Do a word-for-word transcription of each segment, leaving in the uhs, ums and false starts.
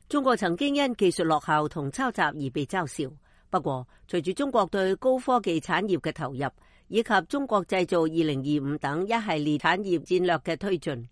中國曾經因技術落後同抄襲而被嘲笑。不過，隨住中國對高科技產業嘅投入，以及中國製造二零二五等一系列產業戰略嘅推進，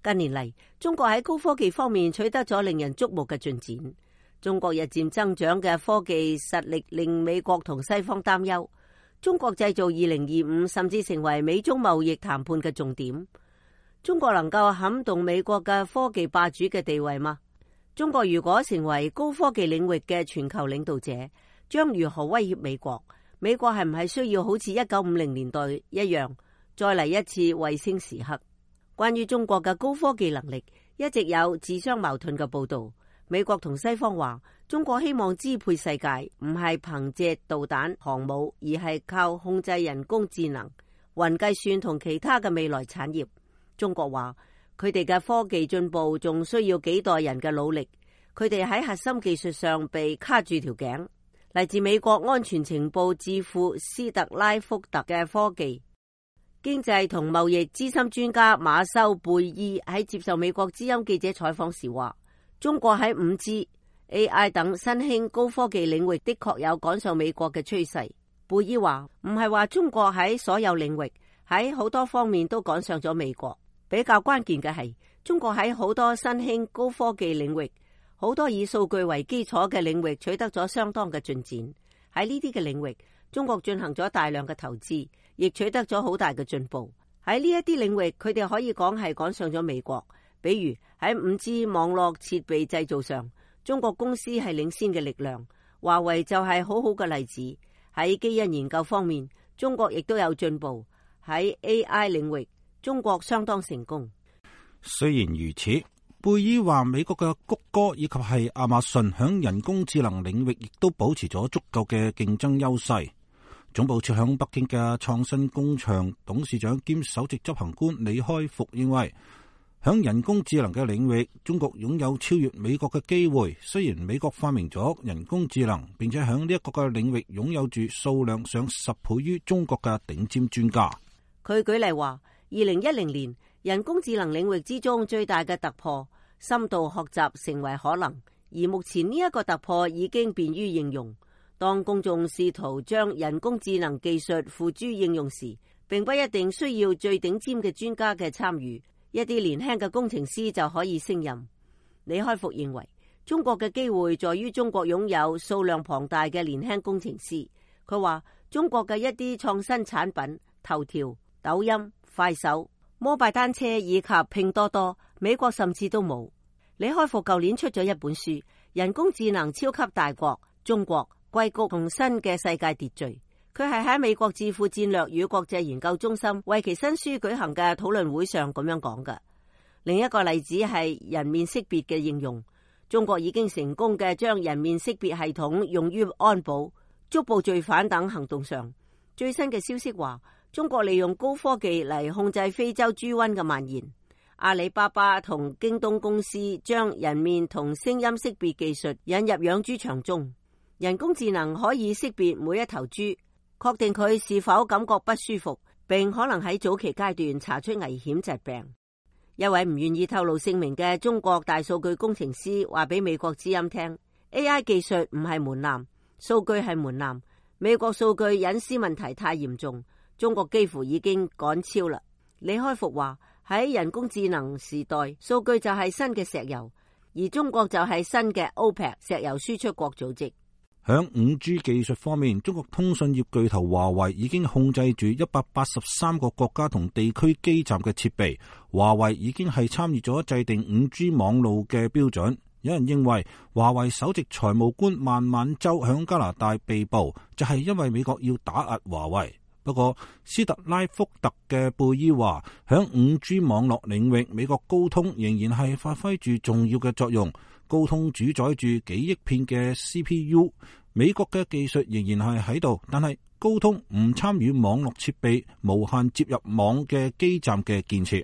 近年嚟，中國喺高科技方面取得咗令人矚目嘅進展。中國日漸增長嘅科技實力令美國同西方擔憂。中國製造二零二五甚至成為美中貿易談判嘅重點。中國能夠撼動美國嘅科技霸主嘅地位嗎？中國如果成為高科技領域嘅全球領導者，將如何威脅美國？美國係唔係需要好似一九五零年代一樣，再嚟一次衛星時刻？關於中國嘅高科技能力，一直有自相矛盾嘅報道。美國同西方話，中國希望支配世界，唔係憑借導彈、航母，而係靠控制人工智能、雲計算同其他嘅未來產業。中國話，佢哋嘅科技進步仲需要幾代人嘅努力，佢哋喺核心技術上被卡住條頸。嚟自美國安全情報智庫斯特拉福特嘅科技經濟同貿易資深專家馬修貝爾喺接受美國之音記者採訪時話，中國喺 五 G、A I 等新興高科技領域的確有趕上美國嘅趨勢。貝爾話，唔係話中國喺所有領域，喺好多方面都趕上咗美國。比較關鍵嘅係，中國喺好多新興高科技領域，好多以數據為基礎嘅領域取得咗相當嘅進展。喺呢啲嘅領域，中國進行咗大量嘅投資，亦取得咗好大嘅進步。喺呢一啲領域，佢哋可以講係趕上咗美國。比如喺 五 G 網絡設備製造上，中國公司係領先嘅力量。華為就係好好嘅例子。喺基因研究方面，中國亦都有進步。喺 A I 領域，中國相當成功。雖然如此，貝爾話美國嘅谷歌以及係亞馬遜響人工智能領域亦都保持咗足夠嘅競爭優勢。總部設響北京嘅創新工場董事長兼首席執行官李開復認為，響人工智能嘅領域，中國擁有超越美國嘅機會。雖然美國發明咗人工智能，並且響呢一個嘅領域擁有住數量上十倍於中國嘅頂尖專家。佢舉例話，二零一零年人工智能領域之中最大嘅突破，深度學習成為可能，而目前呢一個突破已經便於應用。當公眾試圖將人工智能技術付諸應用時，並不一定需要最頂尖嘅專家嘅參與，一啲年輕嘅工程師就可以勝任。李開復認為，中國嘅機會在於中國擁有數量龐大嘅年輕工程師。佢話中國嘅一啲創新產品，頭條、抖音、快手、摩拜單車以及拼多多，美國甚至都冇。李開復舊年出咗一本書《人工智能超級大國：中國硅谷同新嘅世界秩序》，佢係喺美國智庫戰略與國際研究中心為其新書舉行嘅討論會上咁樣講嘅。另一個例子係人面識別嘅應用，中國已經成功嘅將人面識別系統用於安保、捉捕罪犯等行動上。最新嘅消息話，中國利用高科技嚟控制非洲豬瘟嘅蔓延。阿里巴巴同京東公司將人面同聲音識別技術引入養豬場中。人工智能可以識別每一頭豬，確定佢是否感覺不舒服，並可能喺早期階段查出危險疾病。一位唔願意透露姓名嘅中國大數據工程師話俾美國之音聽， A I 技術唔係門檻，數據係門檻。美國數據隱私問題太嚴重，中國幾乎已經趕超啦。李開復話，喺人工智能時代，數據就係新嘅石油，而中國就係新嘅 OPEC 石油輸出國組織。響 五 G 技術方面，中國通訊業巨頭華為已經控制住一百八十三個國家同地區基站嘅設備。華為已經係參與咗制定 五 G 網路嘅標準。有人認為華為首席財務官孟晚舟響加拿大被捕，就係因為美國要打壓華為。不過斯特拉福特嘅貝爾話，響 五 G 網絡領域，美國高通仍然係發揮住重要嘅作用。高通主宰住幾億片嘅 C P U， 美國嘅技術仍然係喺度，但係高通唔參與網絡設備無限接入網嘅基站嘅建設。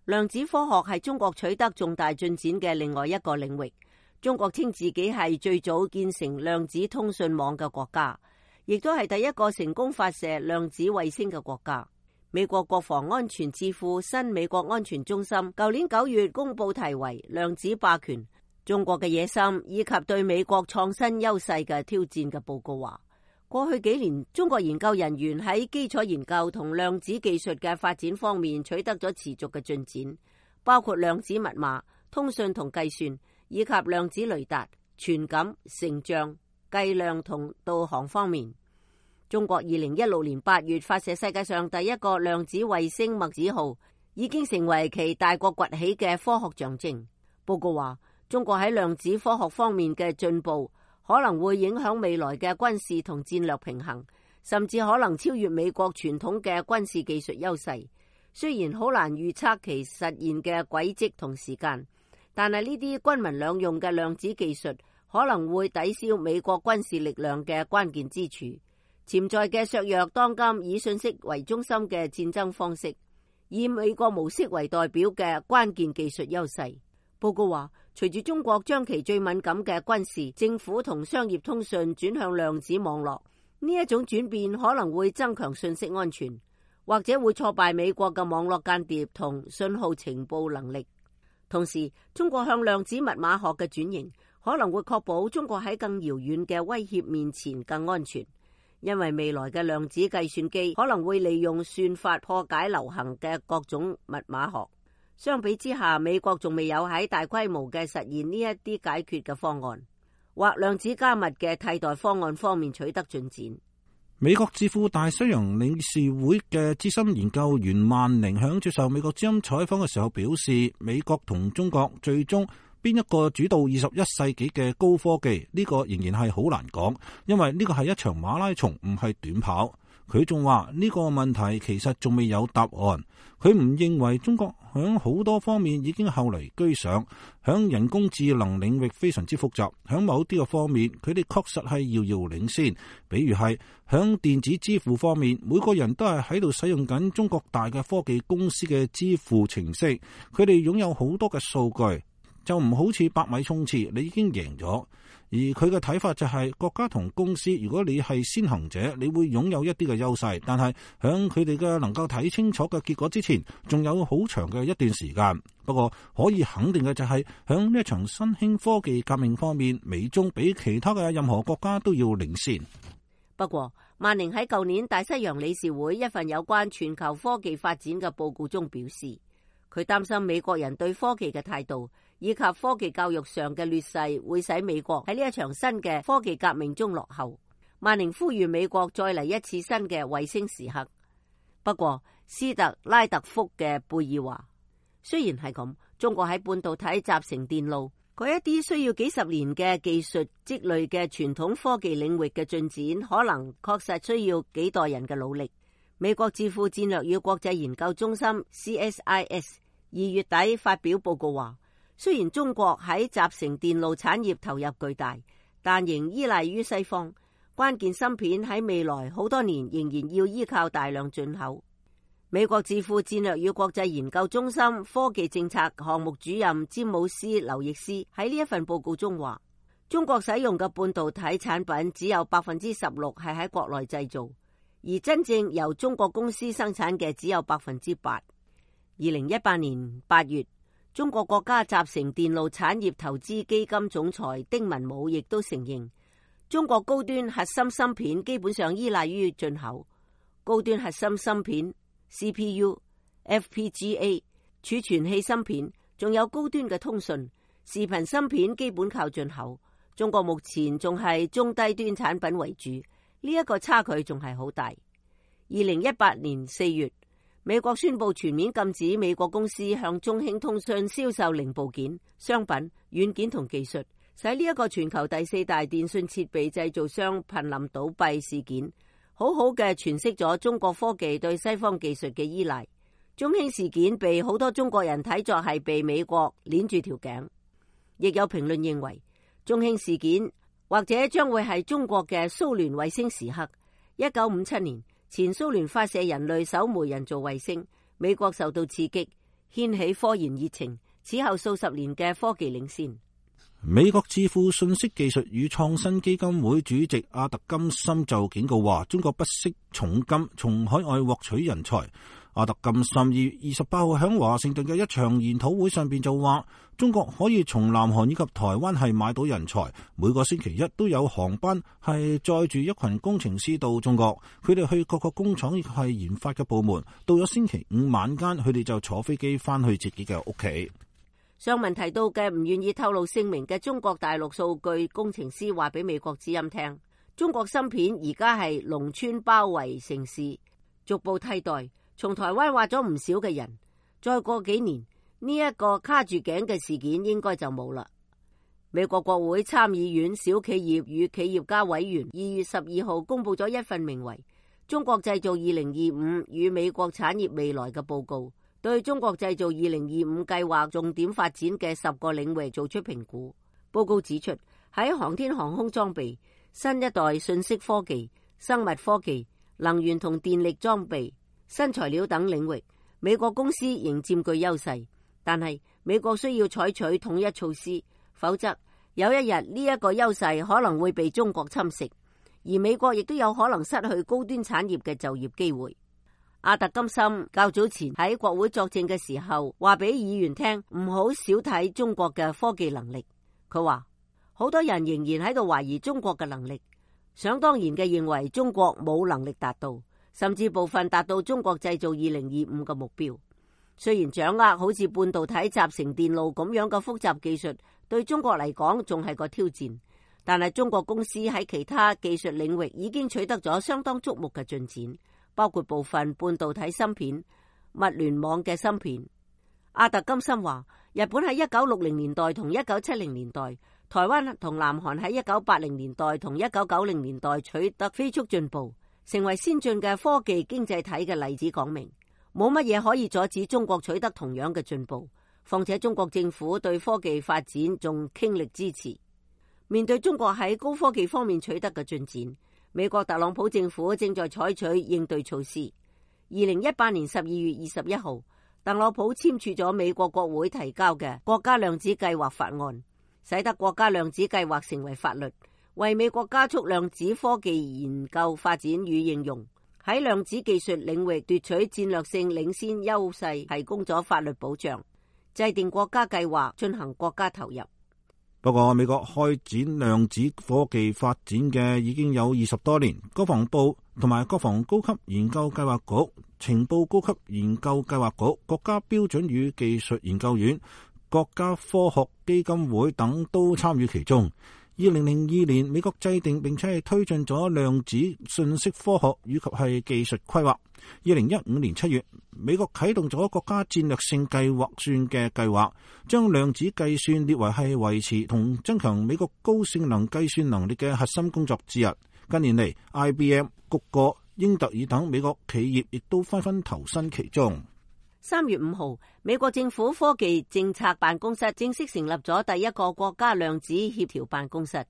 量子科學係中國取得重大進展嘅另外一個領域。中國稱自己係最早建成量子通訊網嘅國家，亦都係第一個成功發射量子衛星嘅國家。美國國防安全智庫新美國安全中心舊年九月公布題為量子霸權中國嘅野心以及對美國創新優勢嘅挑戰嘅報告話，過去幾年中國研究人員喺基礎研究同量子技術嘅發展方面取得咗持續嘅進展，包括量子密碼、通訊同計算，以及量子雷達、傳感、成像、計量同導航方面。中國二零一六年八月發射世界上第一個量子衛星墨子號，已經成為其大國崛起嘅科學象徵。報告話，中國喺量子科學方面嘅進步可能會影響未來嘅軍事同戰略平衡，甚至可能超越美國傳統嘅軍事技術優勢。雖然好難預測其實現嘅軌跡同時間，但係呢啲軍民兩用嘅量子技術可能會抵消美國軍事力量嘅關鍵之處，潛在嘅削弱當今以信息為中心嘅戰爭方式，以美國模式為代表嘅關鍵技術優勢。報告話，隨住中國將其最敏感嘅軍事、政府同商業通訊轉向量子網絡，呢一種轉變可能會增強信息安全，或者會挫敗美國嘅網絡間諜同信號情報能力。同時，中國向量子密碼學嘅轉型可能會確保中國喺更遙遠嘅威脅面前更安全，因為未來嘅量子計算機可能會利用算法破解流行嘅各種密碼學。相比之下，美國仲未有喺大規模嘅實現呢一啲解決嘅方案，或量子加密嘅替代方案方面取得進展。美國智庫大西洋理事會嘅資深研究員萬寧響接受美國之音採訪嘅時候表示，美國同中國最終邊一個主導二十一世紀嘅高科技，呢個仍然係好難講，因為呢個係一場馬拉松，唔係短跑。佢仲話呢個問題其實仲未有答案。佢唔認為中國響好多方面已經後嚟居上，響人工智能領域非常之複雜，響某啲嘅方面佢哋確實係遙遙領先。比如係響電子支付方面，每個人都係喺度使用緊中國大嘅科技公司嘅支付程式，佢哋擁有好多嘅數據，就唔好似百米衝刺，你已經贏咗。而佢嘅睇法就係，國家同公司，如果你係先行者，你會擁有一啲嘅優勢，但係響佢哋嘅能夠睇清楚嘅結果之前，仲有好長嘅一段時間。不過可以肯定嘅就係，響呢一場新興科技革命方面，美中比其他嘅任何國家都要領先。不過，萬寧喺舊年大西洋理事會一份有關全球科技發展嘅報告中表示，佢擔心美國人對科技嘅態度以及科技教育上嘅劣勢會使美國喺呢一場新嘅科技革命中落後。萬寧呼籲美國再嚟一次新嘅衛星時刻。不過，斯特拉特福嘅貝爾話，雖然係咁，中國喺半導體、集成電路嗰一啲需要幾十年嘅技術積累嘅傳統科技領域嘅進展，可能確實需要幾代人嘅努力。美國智庫戰略與國際研究中心 C S I S 二月底發表報告話，雖然中國喺集成電路產業投入巨大，但仍依賴於西方。關鍵芯片喺未來好多年仍然要依靠大量進口。美國智庫戰略與國際研究中心科技政策項目主任詹姆斯劉易斯喺呢一份報告中話，中國使用嘅半導體產品只有百分之十六係喺國內製造，而真正由中國公司生產嘅只有百分之八。二零一八年八月，中國國家集成電路產業投資基金總裁丁文武亦都承認，中國高端核心芯片基本上依賴於進口。高端核心芯片、C P U、F P G A、儲存器芯片，仲有高端嘅通訊、視頻芯片基本靠進口。中國目前仲係中低端產品為主，呢一個差距仲係好大。二零一八年四月，美國宣布全面禁止美國公司向中興通訊銷售零部件、商品、軟件同技術，使呢一個全球第四大電信設備製造商瀕臨倒閉事件，好好嘅詮釋咗中國科技對西方技術嘅依賴。中興事件被好多中國人睇作係被美國鏈住條頸，亦有評論認為，中興事件或者將會係中國嘅蘇聯衛星時刻。一九五七年，前蘇聯發射人類首枚人造衛星，美國受到刺激，掀起科研熱情，此後數十年嘅科技領先。美國智庫信息技術與創新基金會主席阿特金森就警告話，中國不惜重金從海外獲取人才。阿特金森二月二十八號喺華盛頓嘅一場研討會上邊就話，中國可以從南韓以及台灣係買到人才，每個星期一都有航班係載住一群工程師到中國，佢哋去各個工廠亦係研發嘅部門，到咗星期五晚間，佢哋就坐飛機翻去自己嘅屋企。上文提到嘅唔願意透露姓名嘅中國大陸數據工程師話俾美國之音聽，中國芯片而家係農村包圍城市，逐步替代從台灣挖咗唔少嘅人，再過幾年呢一個卡住頸嘅事件應該就冇啦。美國國會參議院小企業與企業家委員二月十二號公布咗一份名為《中國製造二零二五與美國產業未來》嘅報告，對中國製造二零二五計劃重點發展嘅十個領域做出評估。報告指出，喺航天航空裝備、新一代信息科技、生物科技、能源同電力裝備、新材料等領域，美國公司仍佔據優勢，但係美國需要採取統一措施，否則有一日呢一個優勢可能會被中國侵蝕，而美國亦都有可能失去高端產業嘅就業機會。阿特金森較早前喺國會作證嘅時候，話俾議員聽唔好少睇中國嘅科技能力。佢話好多人仍然喺度懷疑中國嘅能力，想當然嘅認為中國冇能力達到，甚至部分達到中國製造二零二五嘅目標。雖然掌握好似半導體集成電路咁樣嘅複雜技術對中國嚟講仲係個挑戰，但係中國公司喺其他技術領域已經取得咗相當矚目嘅進展，包括部分半導體芯片、物聯網嘅芯片。阿特金森話，日本喺一九六零年代同一九七零年代，台灣同南韓喺一九八零年代同一九九零年代取得飛速進步，成為先進嘅科技經濟體嘅例子，講明冇乜嘢可以阻止中國取得同樣嘅進步。況且中國政府對科技發展仲傾力支持。面對中國喺高科技方面取得嘅進展，美國特朗普政府正在採取應對措施。二零一八年十二月二十一號，特朗普簽署咗美國國會提交嘅國家量子計劃法案，使得國家量子計劃成為法律，為美國加速量子科技研究發展與應用，喺量子技術領域奪取戰略性領先優勢提供咗法律保障，制定國家計劃進行國家投入。不過美國開展量子科技發展嘅已經有二十多年，國防部同埋國防高級研究計劃局、情報高級研究計劃局、國家標準與技術研究院、國家科學基金會等都參與其中。二零零二年，美國制定並且係推進咗量子信息科學以及係技術規劃。二零一五年七月，美國啟動咗國家戰略性計劃算嘅計劃，將量子計算列為係維持同增強美國高性能計算能力嘅核心工作之一。近年嚟 ，I B M、谷歌、英特爾等美國企業亦都紛紛投身其中。三月五號，美國政府科技政策辦公室正式成立咗第一個國家量子協調辦公室。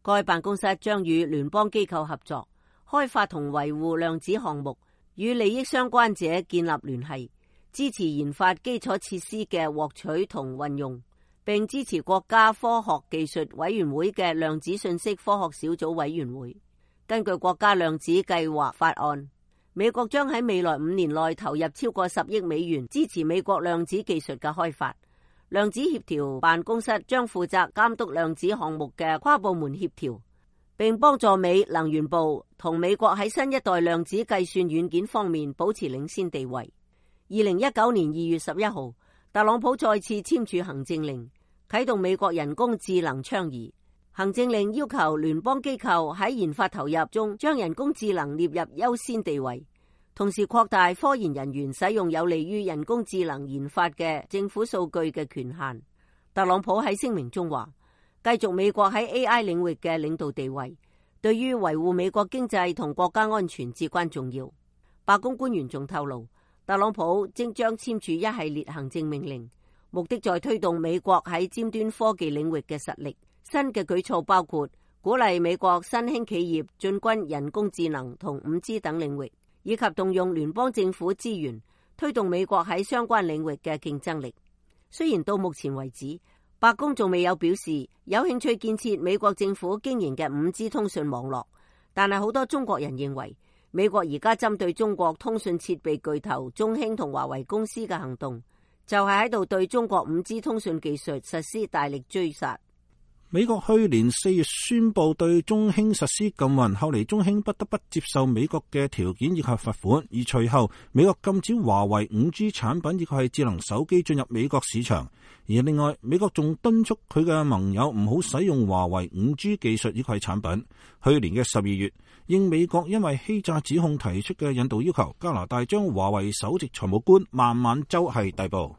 該辦公室將與聯邦機構合作，開發同維護量子項目，與利益相關者建立聯繫，支持研發基礎設施嘅獲取同運用，並支持國家科學技術委員會嘅量子信息科學小組委員會。根據國家量子計劃法案，美國將喺未來五年內投入超過十億美元支持美國量子技術嘅開發。量子協調辦公室將負責監督量子項目嘅跨部門協調，並幫助美能源部同美國喺新一代量子計算軟件方面保持領先地位。二零一九年二月十一號，特朗普再次簽署行政令，啟動美國人工智能倡議。行政令要求聯邦機構喺研發投入中將人工智能列入優先地位，同時擴大科研人員使用有利於人工智能研發嘅政府數據嘅權限。特朗普喺聲明中話，繼續美國喺 A I 領域嘅領導地位，對於維護美國經濟同國家安全至關重要。白宮官員仲透露，特朗普正將簽署一系列行政命令，目的在推動美國喺尖端科技領域嘅實力。新嘅舉措包括鼓勵美國新興企業進軍人工智能同五 G 等領域，以及動用聯邦政府資源推動美國喺相關領域嘅競爭力。雖然到目前為止，白宮仲未有表示有興趣建設美國政府經營嘅五 G 通訊網絡，但係好多中國人認為美國而家針對中國通訊設備巨頭中興同華為公司嘅行動，就係喺度對中國五 G 通訊技術實施大力追殺。美國去年四月宣布對中興實施禁運，後嚟中興不得不接受美國嘅條件以及罰款，而隨後美國禁止華為五 G 產品以及係智能手機進入美國市場。而另外，美國仲敦促佢嘅盟友唔好使用華為五 G 技術以及係產品。去年嘅十二月，應美國因為欺詐指控提出嘅引渡要求，加拿大將華為首席財務官孟晚舟係逮捕。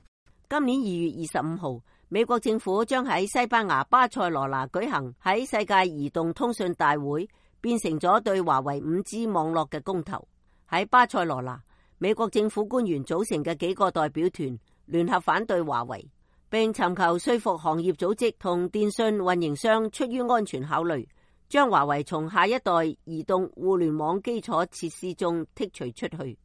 今年二月二十五號，美國政府將喺西班牙巴塞羅那舉行喺世界移動通訊大會，變成咗對華為五 G 網絡嘅公投。喺巴塞羅那，美國政府官員組成嘅幾個代表團聯合反對華為，並尋求說服行業組織同電信運營商出於安全考慮，將華為從下一代移動互聯網基礎設施中剔除出去。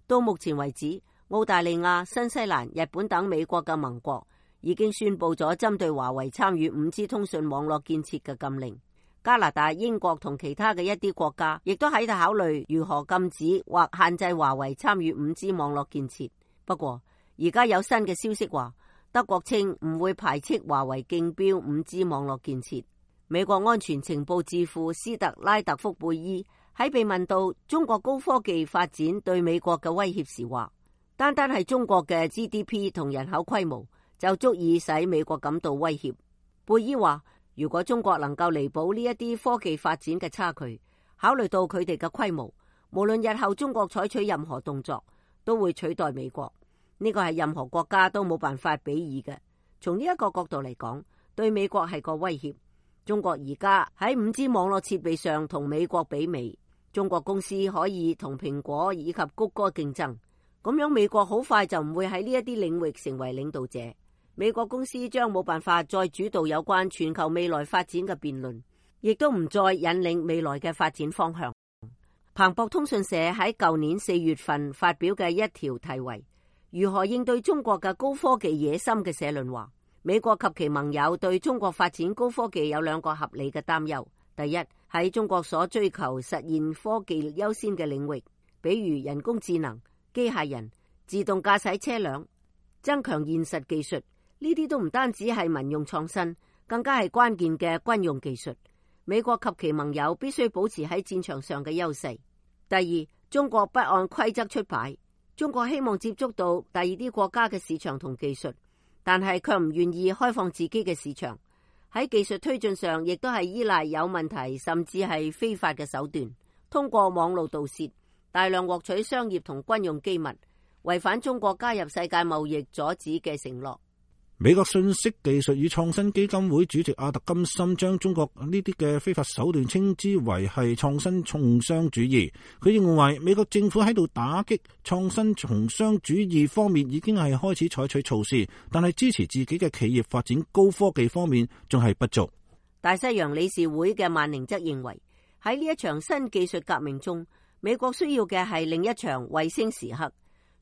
到目前為止，澳大利亞、新西蘭、日本等美國嘅盟國已經宣布咗針對華為參與五 G 通訊網絡建設嘅禁令。加拿大、英國同其他嘅一啲國家亦都喺度考慮如何禁止或限制華為參與五 G 網絡建設。不過，而家有新嘅消息話，德國稱唔會排斥華為競標五 G 網絡建設。美國安全情報智庫斯特拉特福貝伊喺被問到中國高科技發展對美國嘅威脅時話，單單係中國嘅 G D P 同人口規模就足以使美國感到威脅。貝伊話，如果中國能夠彌補呢一啲科技發展嘅差距，考慮到佢哋嘅規模，無論日後中國採取任何動作，都會取代美國。呢個係任何國家都冇辦法比擬嘅。從呢一個角度嚟講，對美國係個威脅。中國而家喺五 G 網絡設備上同美國媲美，中國公司可以同蘋果以及谷歌競爭。咁樣美國好快就唔會喺呢一啲領域成為領導者，美國公司將冇辦法再主導有關全球未來發展嘅辯論，亦都唔再引領未來嘅發展方向。彭博通訊社喺舊年四月份發表嘅一條題為如何應對中國嘅高科技野心嘅社論話，美國及其盟友對中國發展高科技有兩個合理嘅擔憂。第一，喺中國所追求實現科技優先嘅領域，比如人工智能、機械人、自動駕駛車輛、增強現實技術，呢啲都唔單止係民用創新，更加係關鍵嘅軍用技術。美國及其盟友必須保持喺戰場上嘅優勢。第二，中國不按規則出牌，中國希望接觸到第二啲國家嘅市場同技術，但係卻唔願意開放自己嘅市場。喺技術推進上，亦都係依賴有問題甚至係非法嘅手段，通過網路盜竊大量獲取商業同軍用機密，違反中國加入世界貿易阻止嘅承諾。美國信息技術與創新基金會主席阿特金森將中國呢啲嘅非法手段稱之為係創新重商主義。佢認為美國政府喺度打擊創新重商主義方面已經係開始採取措施，但係支持自己嘅企業發展高科技方面仲係不足。大西洋理事會嘅萬寧則認為，喺呢一場新技術革命中，美國需要嘅係另一場衛星時刻，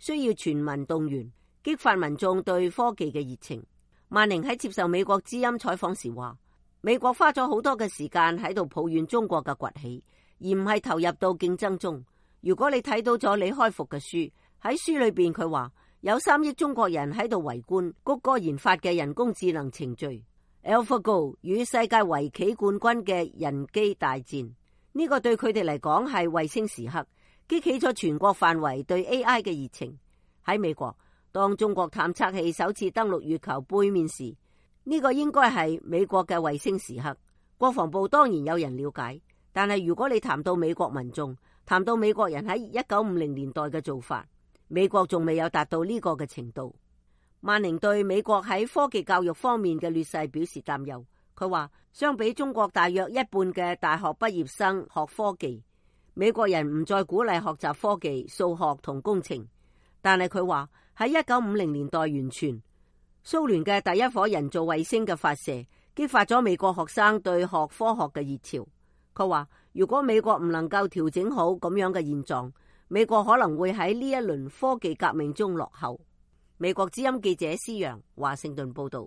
需要全民動員，激發民眾對科技嘅熱情。萬寧喺接受美國之音採訪時話，美國花咗好多嘅時間喺度抱怨中國嘅崛起，而唔係投入到競爭中。如果你睇到咗李開復嘅書，喺書裏邊佢話有三億中國人喺度圍觀谷歌研發嘅人工智能程序 AlphaGo 與世界圍棋冠軍嘅人機大戰。呢個對佢哋嚟講係衛星時刻，激起咗全國範圍對 A I 嘅熱情。喺美國，當中國探測器首次登陸月球背面時，呢個應該係美國嘅衛星時刻。國防部當然有人了解，但係如果你談到美國民眾，談到美國人喺一九五零年代嘅做法，美國仲未有達到呢個嘅程度。萬寧對美國喺科技教育方面嘅劣勢表示擔憂。佢話，相比中國大約一半嘅大學畢業生學科技，美國人唔再鼓勵學習科技、數學同工程。但係佢話喺一九五零年代完全，蘇聯嘅第一顆人造衛星嘅發射，激發咗美國學生對學科學嘅熱潮。佢話如果美國唔能夠調整好咁樣嘅現狀，美國可能會喺呢一輪科技革命中落後。美國之音記者施洋華盛頓報道。